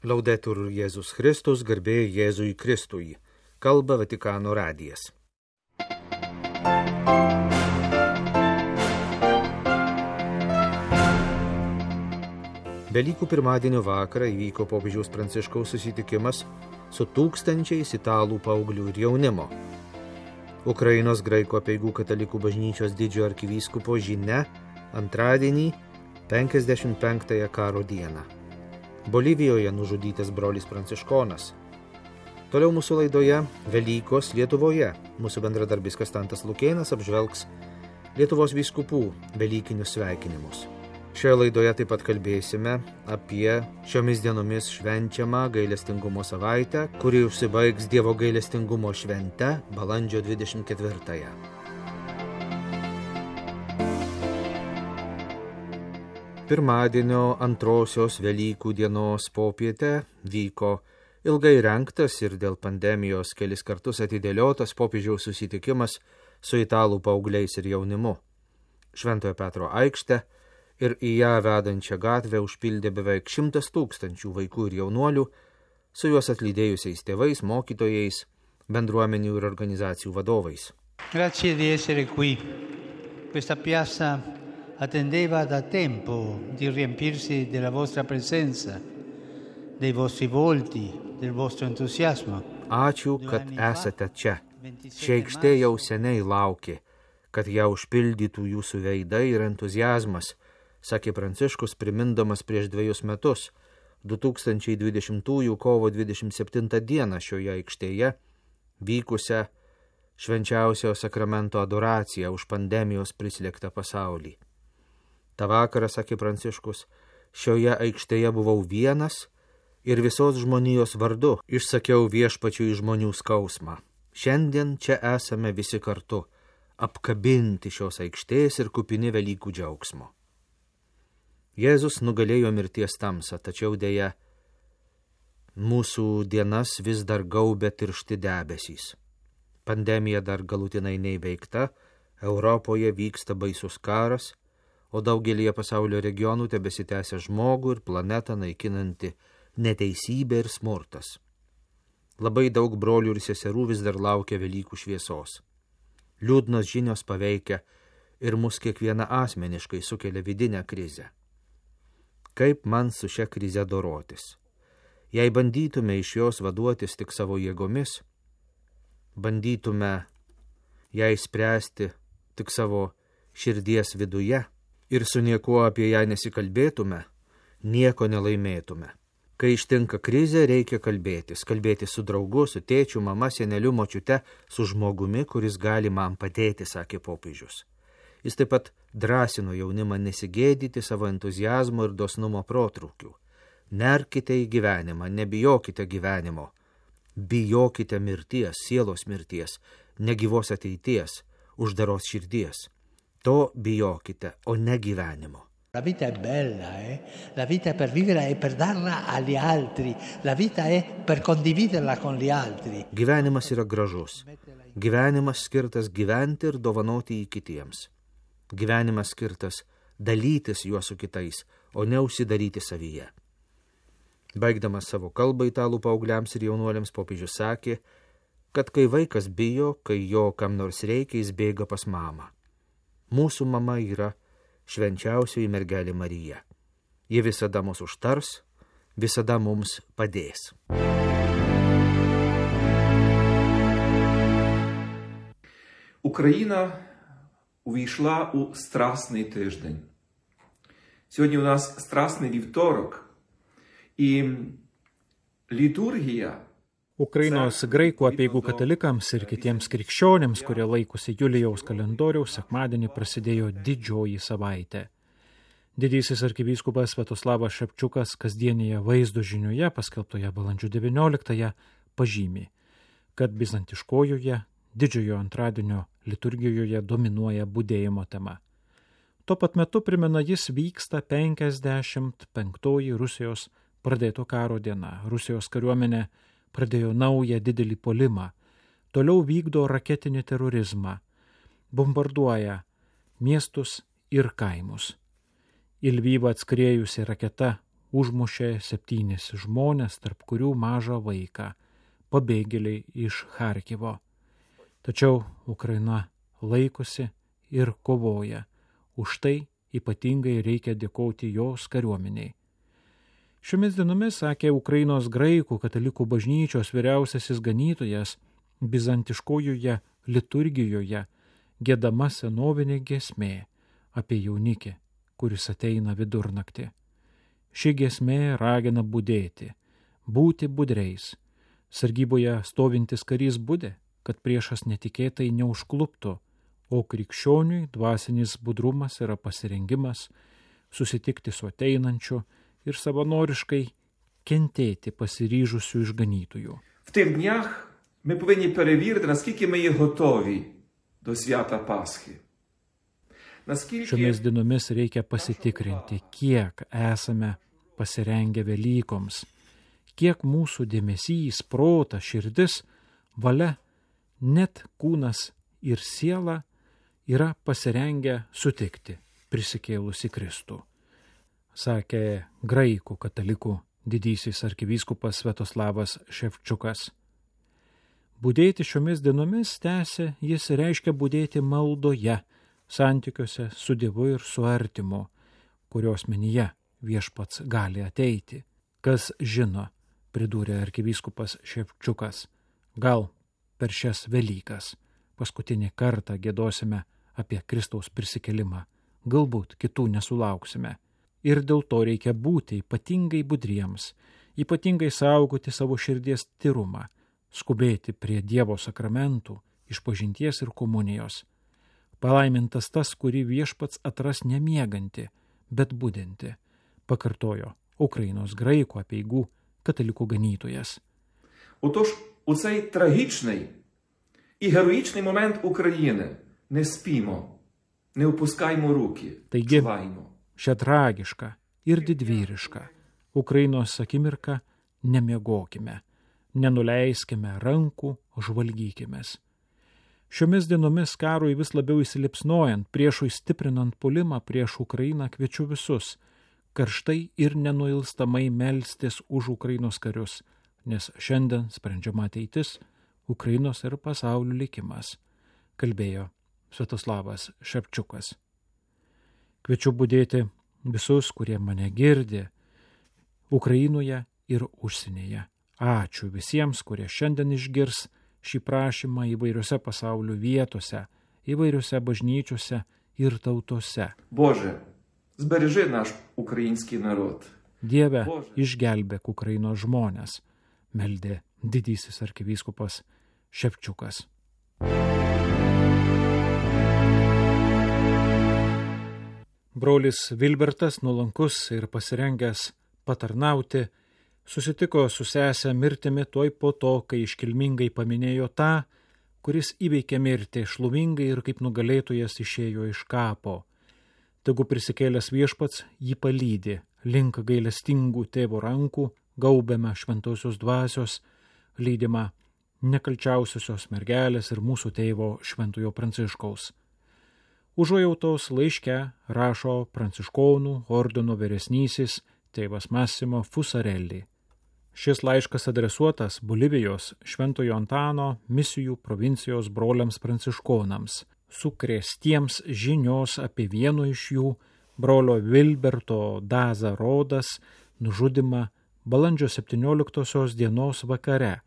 Laudetur Jėzus Kristus, garbė Jėzui Kristui. Kalba Vatikano radijas. Velykų pirmadienio vakarą įvyko popiežiaus Pranciškaus susitikimas su tūkstančiais italų paauglių ir jaunimo. Ukrainos graikų apeigų katalikų bažnyčios didžiojo arkivyskupo žinia antradienį 55-ąją karo dieną. Bolivijoje nužudytas brolis Pranciškonas. Toliau mūsų laidoje Velykos Lietuvoje. Mūsų bendradarbis Kastantas Lukėnas apžvelgs Lietuvos vyskupų velykinius sveikinimus. Šioje laidoje taip pat kalbėsime apie šiomis dienomis švenčiamą gailestingumo savaitę, kuri užsibaigs Dievo gailestingumo švente balandžio 24-ąją. Pirmadienio antrosios Velykų dienos popietę vyko ilgai rengtas ir dėl pandemijos kelis kartus atidėliotas popiežiaus susitikimas su italų paaugliais ir jaunimu. Šventojo Petro aikštę ir į ją vedančią gatvę užpildė beveik 100 000 vaikų ir jaunuolių, su juos atlydėjusiais tėvais, mokytojais, bendruomenių ir organizacijų vadovais. Grazie di essere qui. Questa piazza attendeva da tempo di riempirsi della vostra presenza, dei vostri volti, del vostro entusiasmo. Ačiū, kad esate čia. Ši aikštė jau seniai laukė, kad ją užpildytų jūsų veidai ir entuziazmas, sakė Pranciškus, primindamas prieš 2 metus, 2020 kovo 27 dieną šioje aikštėje vykusią švenčiausio sakramento adoraciją už pandemijos prislėgtą pasaulį. Ta vakarą, sakė Pranciškus, šioje aikštėje buvau vienas ir visos žmonijos vardu išsakiau viešpačiui žmonių skausmą. Šiandien čia esame visi kartu, apkabinti šios aikštės ir kupini Velykų džiaugsmo. Jėzus nugalėjo mirties tamsą, tačiau dėja mūsų dienas vis dar gaubia tiršti debesys. Pandemija dar galutinai neįveikta, Europoje vyksta baisus karas, o daugelyje pasaulio regionų tebesitęsia žmogų ir planetą naikinanti neteisybė ir smurtas. Labai daug brolių ir seserų vis dar laukia Velykų šviesos. Liūdnos žinios paveikia ir mus kiekvieną asmeniškai sukelia vidinę krizę. Kaip man su šia krize dorotis? Jei bandytume iš jos vaduotis tik savo jėgomis, bandytume ją išspręsti tik savo širdies viduje ir su niekuo apie ją nesikalbėtume, nieko nelaimėtume. Kai ištinka krizė, reikia kalbėtis su draugu, su tėčiu, mama, seneliu, močiute, su žmogumi, kuris gali man padėti, sakė popiežius. Jis taip pat drąsino jaunimą nesigėdyti savo entuziazmo ir dosnumo protrūkių. Nerkite į gyvenimą, nebijokite gyvenimo, bijokite mirties, sielos mirties, negyvos ateities, uždaros širdies. To bijokite, o ne gyvenimo. La vita è bella, La vita è per vivere e per darla agli altri. La vita è per condividerla con gli altri. Gyvenimas yra gražus. Gyvenimas skirtas gyventi ir dovanoti jį kitiems. Gyvenimas skirtas dalytis juo su kitais, o ne užsidaryti savyje. Baigdamas savo kalbą italų paaugliams ir jaunuoliams, popiežius sakė, kad kai vaikas bijo, kai jo kam nors reikia, jis bėga pas mamą. Mūsų mama yra švenčiausioji mergelė Marija. Ji visada mus užtars, visada mums padės. Україна увійшла у Страсний тиждень. Сьогодні у нас Страсний вівторок, і літургія Ukrainos graikų apeigų katalikams ir kitiems krikščionėms, kurie laikosi Julijaus kalendoriaus, sekmadienį prasidėjo didžioji savaitė. Didysis arkivyskupas Sviatoslavas Šepčiukas kasdienėje vaizdo žinioje, paskelbtoje balandžio 19-ąją, pažymi, kad bizantiškojoje didžiojo antradienio liturgijoje dominuoja budėjimo tema. Tuo pat metu, primena jis, vyksta 55-oji Rusijos pradėto karo diena. Rusijos kariuomenė pradėjo naują didelį puolimą, toliau vykdo raketinį terorizmą, bombarduoja miestus ir kaimus. Į Lvyvą atskriejusi raketa užmušė 7 žmonės, tarp kurių mažą vaiką, pabėgėliai iš Charkivo. Tačiau Ukraina laikosi ir kovoja. Už tai ypatingai reikia dėkoti jos kariuomeniai. Šiomis dienomis, sakė Ukrainos graikų katalikų bažnyčios vyriausiasis ganytojas, bizantiškojoje liturgijoje giedama senovinė giesmė apie jaunikį, kuris ateina vidurnaktį. Ši giesmė ragina budėti, būti budreis. Sargyboje stovintis karys budė, kad priešas netikėtai neužkluptų, o krikščioniui dvasinis budrumas yra pasirengimas susitikti su ateinančiu ir savanoriškai kentėti pasiryžusių išganytojų. В тих днях ми повинні перевірити, наскільки ми є готові до свята Пасхи. Šiomis dienomis reikia pasitikrinti, kiek esame pasirengę Velykoms, kiek mūsų dėmesys, protas, širdis, valia, net kūnas ir siela yra pasirengę sutikti prisikėlusi Kristų, sakė graikų katalikų didysis arkivyskupas Sviatoslavas Ševčiukas. Budėti šiomis dienomis, tęsė, jis reiškia budėti maldoje, santykiuose su Dievu ir su artimu, kurios menyje viešpats gali ateiti. Kas žino, pridūrė arkivyskupas Ševčiukas, gal per šias Velykas paskutinį kartą giedosime apie Kristaus prisikėlimą, galbūt kitų nesulauksime. Ir dėl to reikia būti ypatingai budriems, ypatingai saugoti savo širdies tyrumą, skubėti prie Dievo sakramentų, išpažinties ir komunijos. Palaimintas tas, kurį viešpats atras nemieganti, bet budinti, pakartojo Ukrainos graikų apeigų katalikų ganytojas. Отож, у цей трагічний і героїчний момент України не спімо, не опускаймо руки, Taigi, чуваймо. šią tragišką ir didvyrišką Ukrainos akimirką nemiegokime, nenuleiskime rankų, žvalgykimės. Šiomis dienomis karui vis labiau įsilipsnojant, priešui stiprinant puolimą prieš Ukrainą, kviečiu visus karštai ir nenuilstamai melstis už Ukrainos karius, nes šiandien sprendžiama ateitis, Ukrainos ir pasaulio likimas, kalbėjo Sviatoslavas Ševčiukas. Kviečiu budėti visus, kurie mane girdi, Ukrainoje ir užsienyje. Ačiū visiems, kurie šiandien išgirs šį prašymą įvairiose pasaulio vietose, įvairiose bažnyčiose ir tautose. Боже, збережи наш український народ. Dieve, išgelbėk Ukrainos žmonės, meldė didysis arkivyskupas Ševčiukas. Brolis Vilbertas, nuolankus ir pasirengęs patarnauti, susitiko su sesę mirtimi tuoj po to, kai iškilmingai paminėjo tą, kuris įveikė mirtį šlovingai ir kaip nugalėtojas išėjo iš kapo. Tegu prisikėlęs viešpats jį palydi link gailestingų tėvo rankų, gaubiame šventosios dvasios, lydima nekalčiausiosios mergelės ir mūsų tėvo Šventojo Pranciškaus. Užuojautos laiške rašo pranciškonų ordino vyresnysis tėvas Massimo Fusarelli. Šis laiškas adresuotas Bolivijos Šventojo Antano misijų provincijos broliams pranciškonams, sukrėstiems žinios apie vieno iš jų, brolio Vilberto Daza Rodas, nužudymą balandžio 17 dienos vakare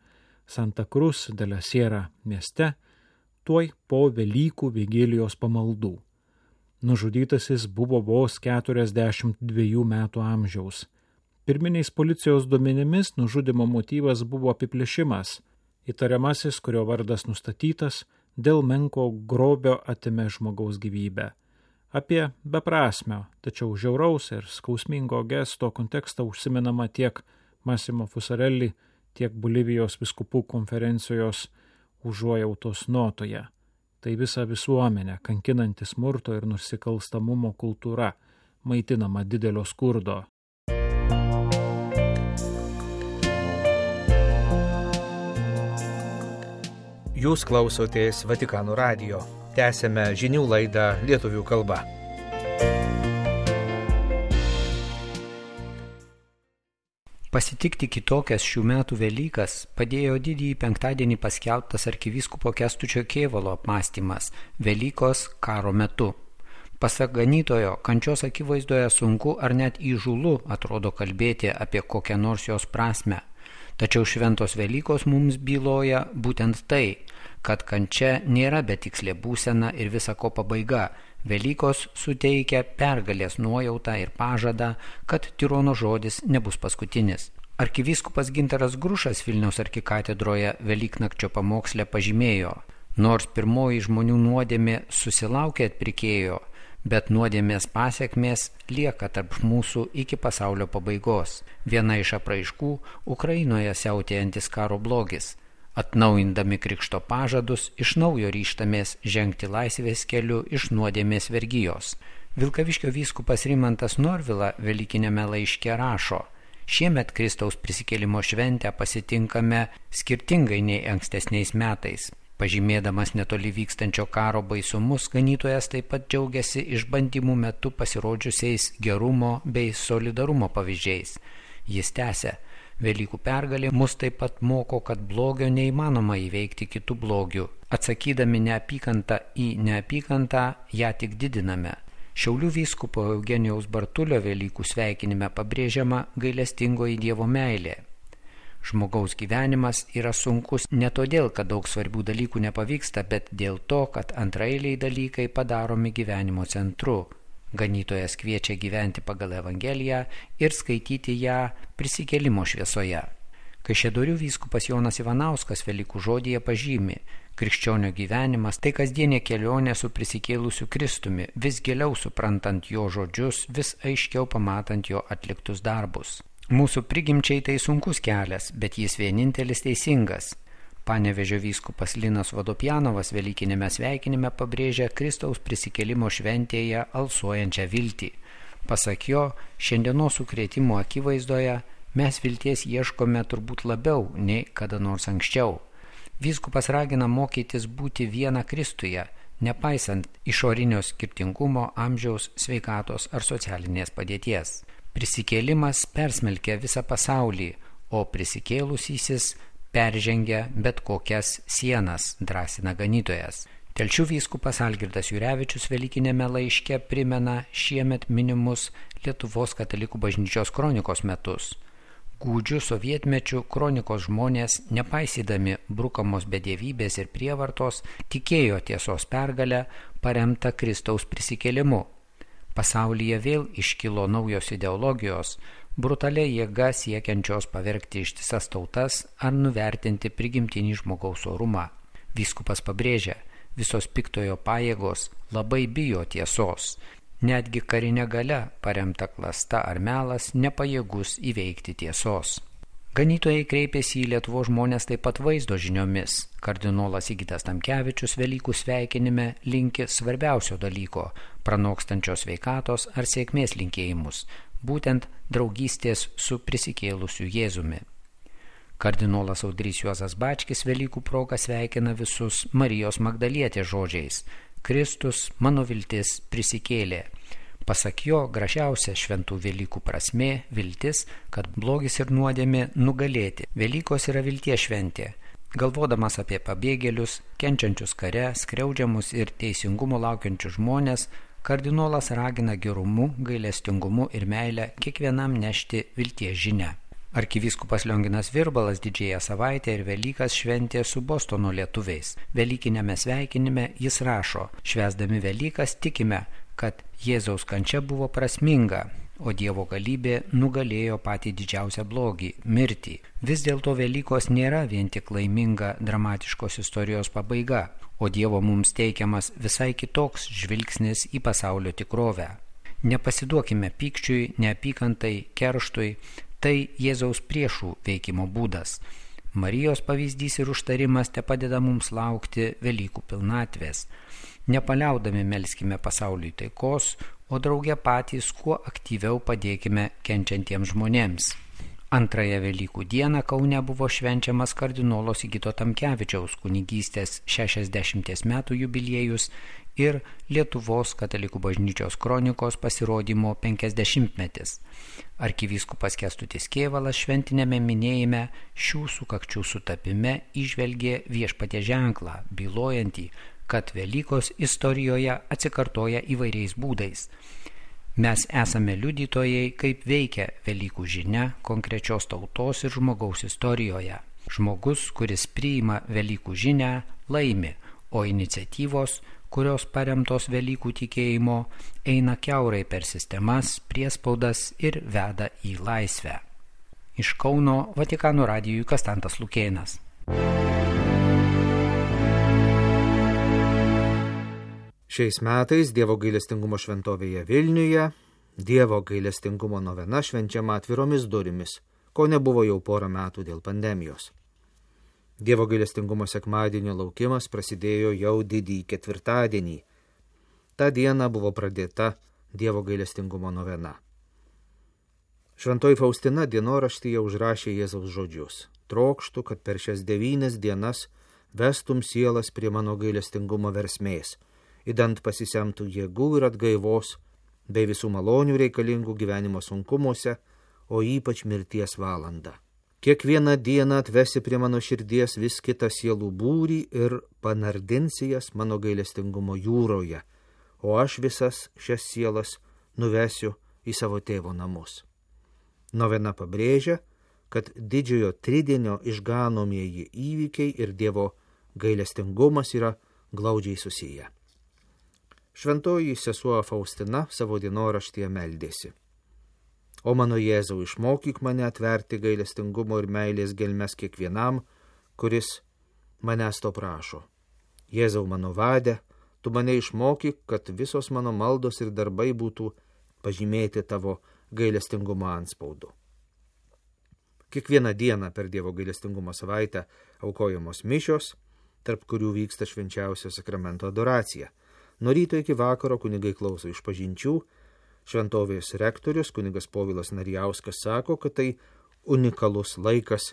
Santa Cruz de la Sierra mieste, tuoj po Velykų vigilijos pamaldų. Nužudytasis buvo vos 42 metų amžiaus. Pirminiais policijos duomenimis nužudymo motyvas buvo apiplėšimas. Įtariamasis, kurio vardas nustatytas, dėl menko grobio atėmė žmogaus gyvybę. Apie beprasmio, tačiau žiauraus ir skausmingo gesto kontekstą užsimenama tiek Massimo Fusarelli, tiek Bolivijos vyskupų konferencijos užuojautos notoje. Tai visa visuomenė kankinanti smurto ir nusikalstamumo kultūra, maitinama didelio skurdo. Jūs klausotės Vatikano radijo. Tęsėme žinių laidą lietuvių kalba. Pasitikti kitokias šių metų Velykas padėjo didįjį penktadienį paskelbtas arkivyskupo Kęstučio Kėvalo apmąstymas Velykos karo metu. Pasak ganytojo, kančios akivaizdoje sunku ar net įžūlu atrodo kalbėti apie kokią nors jos prasmę. Tačiau šventos Velykos mums byloja būtent tai, kad kančia nėra betikslė būsena ir visa ko pabaiga. Velykos suteikia pergalės nuojautą ir pažadą, kad tirono žodis nebus paskutinis. Arkivyskupas Gintaras Grušas Vilniaus arkikatedroje Velyknakčio pamoksle pažymėjo, nors pirmoji žmonių nuodėmė susilaukė atpirkėjo, bet nuodėmės pasekmės lieka tarp mūsų iki pasaulio pabaigos. Viena iš apraiškų Ukrainoje siautėjantis karo blogis. Atnaujindami krikšto pažadus, iš naujo ryžtamės žengti laisvės keliu iš nuodėmės vergijos. Vilkaviškio vyskupas Rimantas Norvila Velykinėme laiške rašo, šiemet Kristaus prisikėlimo šventę pasitinkame skirtingai nei ankstesniais metais. Pažymėdamas netoli vykstančio karo baisumus, ganytojas taip pat džiaugiasi išbandymų metu pasirodžiusiais gerumo bei solidarumo pavyzdžiais. Jis tęsia, Velykų pergalė mus taip pat moko, kad blogio neįmanoma įveikti kitų blogių. Atsakydami neapykantą į neapykantą, ją tik didiname. Šiaulių vyskupo Eugenijaus Bartulio Velykų sveikinime pabrėžiama gailestingoji Dievo meilė. Žmogaus gyvenimas yra sunkus ne todėl, kad daug svarbių dalykų nepavyksta, bet dėl to, kad antraeiliai dalykai padaromi gyvenimo centru. Ganytojas kviečia gyventi pagal Evangeliją ir skaityti ją prisikėlimo šviesoje. Kaišiadorių vyskupas Jonas Ivanauskas Velykų žodyje pažymi, krikščionio gyvenimas tai kasdienė kelionė su prisikėlusiu Kristumi, vis giliau suprantant jo žodžius, vis aiškiau pamatant jo atliktus darbus. Mūsų prigimčiai tai sunkus kelias, bet jis vienintelis teisingas. Panevėžio vyskupas Linas Vodopjanovas Velykinėme sveikinime pabrėžia Kristaus prisikėlimo šventėje alsuojančią viltį. Pasak jo, šiandienos sukrėtimo akivaizdoje mes vilties ieškome turbūt labiau nei kada nors anksčiau. Vyskupas ragina mokytis būti viena Kristuje, nepaisant išorinio skirtingumo, amžiaus, sveikatos ar socialinės padėties. Prisikėlimas persmelkia visą pasaulį, o prisikėlusysis peržengia bet kokias sienas, drąsina ganytojas. Telšių vyskupas Algirdas Jurevičius Velykinėme laiške primena šiemet minimus Lietuvos katalikų bažnyčios kronikos metus. Gūdžių sovietmečių kronikos žmonės, nepaisydami brukamos bedievybės ir prievartos, tikėjo tiesos pergalę paremtą Kristaus prisikėlimu. Pasaulyje vėl iškilo naujos ideologijos, brutalia jėga siekiančios pavergti ištisas tautas ar nuvertinti prigimtinį žmogaus orumą. Vyskupas pabrėžia, visos piktojo pajėgos labai bijo tiesos. Netgi karinė galia paremta klasta ar melas nepajėgus įveikti tiesos. Ganytojai kreipėsi į Lietuvos žmonės taip pat vaizdo žiniomis. Kardinolas Sigitas Tamkevičius Velykų sveikinime linki svarbiausio dalyko – pranokstančios sveikatos ar sėkmės linkėjimus, būtent draugystės su prisikėlusiu Jėzumi. Kardinolas Audrys Juozas Bačkis Velykų proga sveikina visus Marijos Magdalietės žodžiais – Kristus, mano viltis, prisikėlė. Pasak jo, gražiausia šventų Velykų prasmė – viltis, kad blogis ir nuodėmė nugalėti. Velykos yra vilties šventė. Galvodamas apie pabėgėlius, kenčiančius kare, skriaudžiamus ir teisingumo laukiančius žmonės, kardinolas ragina gerumu, gailestingumu ir meilę kiekvienam nešti vilties žinią. Arkivyskupas Lionginas Virbalas Didžiąją savaitę ir Velykas šventė su Bostono lietuviais. Velykiniame sveikinime jis rašo, švęsdami Velykas tikime, kad Jėzaus kančia buvo prasminga, o Dievo galybė nugalėjo patį didžiausią blogį – mirtį. Vis dėlto Velykos nėra vien tik laiminga dramatiškos istorijos pabaiga, o Dievo mums teikiamas visai kitoks žvilgsnis į pasaulio tikrovę. Nepasiduokime pykčiui, neapykantai, kerštui, tai Jėzaus priešų veikimo būdas. Marijos pavyzdys ir užtarimas tepadeda mums laukti Velykų pilnatvės. Nepaliaudami melskime pasauliui taikos, o drauge patys kuo aktyviau padėkime kenčiantiems žmonėms. Antrąją Velykų dieną Kaune buvo švenčiamas kardinolo Sigito Tamkevičiaus kunigystės 60 metų jubiliejus ir Lietuvos katalikų bažnyčios kronikos pasirodymo 50-metis. Arkivyskupas Kęstutis Kėvalas šventinėme minėjime šių sukakčių sutapime įžvelgė viešpaties ženklą, bylojantį, kad Velykos istorijoje atsikartoja įvairiais būdais. Mes esame liudytojai, kaip veikia Velykų žinia konkrečios tautos ir žmogaus istorijoje. Žmogus, kuris priima Velykų žinią, laimi, o iniciatyvos, kurios paremtos Velykų tikėjimo, eina kiaurai per sistemas, priespaudas ir veda į laisvę. Iš Kauno Vatikano radijui Kastantas Lukėnas. Šiais metais Dievo gailestingumo šventovėje Vilniuje Dievo gailestingumo novena švenčiama atviromis durimis, ko nebuvo jau porą metų dėl pandemijos. Dievo gailestingumo sekmadienio laukimas prasidėjo jau didįjį ketvirtadienį. Ta diena buvo pradėta Dievo gailestingumo novena. Šventoji Faustina dienoraštyje užrašė Jėzaus žodžius: trokštu, kad per šias 9 dienas vestum sielas prie mano gailestingumo versmės, idant pasisemtų jėgų ir atgaivos, bei visų malonių reikalingų gyvenimo sunkumuose, o ypač mirties valandą. Kiekvieną dieną atvesi prie mano širdies vis kitą sielų būrį ir panardinsi jas mano gailestingumo jūroje, o aš visas šias sielas nuvesiu į savo tėvo namus. Novena pabrėžia, kad didžiojo tridienio išganomieji įvykiai ir Dievo gailestingumas yra glaudžiai susiję. Šventoji sesuo Faustina savo dienoraštyje meldėsi: O mano Jėzau, išmokyk mane atverti gailestingumo ir meilės gelmes kiekvienam, kuris manęs to prašo. Jėzau mano vade, tu mane išmokyk, kad visos mano maldos ir darbai būtų pažymėti tavo gailestingumo antspaudu. Kiekvieną dieną per Dievo gailestingumo savaitę aukojamos mišios, tarp kurių vyksta švenčiausio sakramento adoracija. Nuo ryto iki vakaro kunigai klauso išpažinčių. Šventovės rektorius kunigas Povilas Narijauskas sako, kad tai unikalus laikas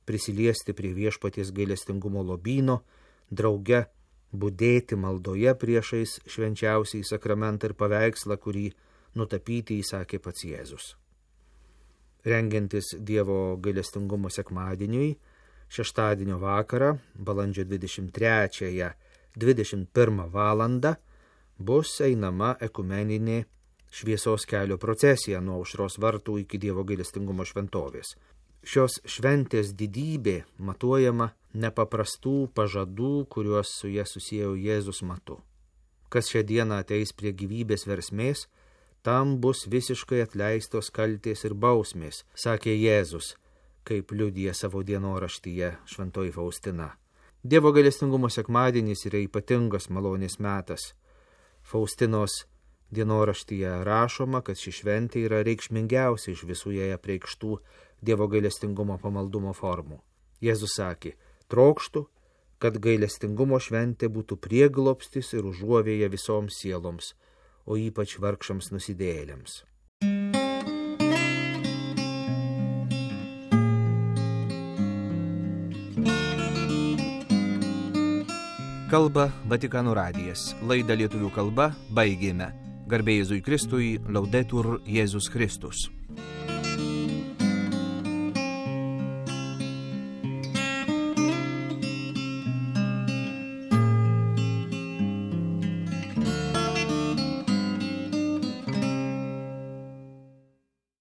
prisiliesti prie viešpaties gailestingumo lobyno, drauge budėti maldoje priešais švenčiausiai sakramentą ir paveikslą, kurį nutapyti įsakė pats Jėzus. Rengiantis Dievo gailestingumo sekmadieniui, šeštadienio vakarą, balandžio 23-ąją 21 valandą, bus einama ekumeninė šviesos kelio procesija nuo Aušros vartų iki Dievo gailestingumo šventovės. Šios šventės didybė matuojama nepaprastų pažadų, kuriuos su jie susiejo Jėzus matu. Kas šią dieną ateis prie gyvybės versmės, tam bus visiškai atleistos kaltės ir bausmės, sakė Jėzus, kaip liudija savo dienoraštyje šventoji Faustina. Dievo gailestingumo sekmadienis yra ypatingas malonės metas. Faustinos dienoraštyje rašoma, kad ši šventė yra reikšmingiausia iš visų jai apreikštų Dievo gailestingumo pamaldumo formų. Jėzus sakė: trokštu, kad gailestingumo šventė būtų prieglobstis ir užuovėja visoms sieloms, o ypač vargšams nusidėjėliams. Kalba Vatikano radijas. Laidą lietuvių kalba baigėme. Garbė Jėzui Kristui, Laudetur Jėzus Kristus.